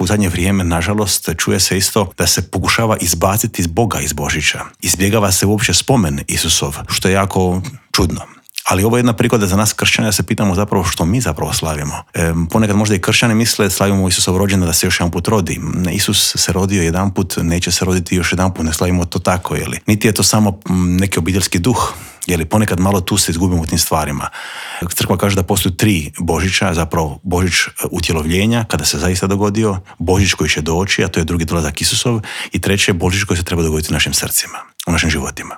u zadnje vrijeme, nažalost, čuje se isto da se pokušava izbaciti iz Boga iz Božića. Izbjegava se uopće spomen Isusov, što je jako čudno. Ali ovo je jedna prigoda za nas kršćane da se pitamo zapravo što mi zapravo slavimo. Ponekad možda i kršćani misle slavimo Isusov rođendan da se još jedan put rodi. Isus se rodio jedanput, neće se roditi još jedanput, ne slavimo to tako, jeli? Niti je to samo neki obiteljski duh, jeli? Ponekad malo tu se izgubimo u tim stvarima. Crkva kaže da postoji 3 Božića, zapravo Božić utjelovljenja, kada se zaista dogodio, Božić koji će doći, a to je drugi dolazak Isusov, i treće Božić koji se treba dogoditi u našim srcima, u našim životima.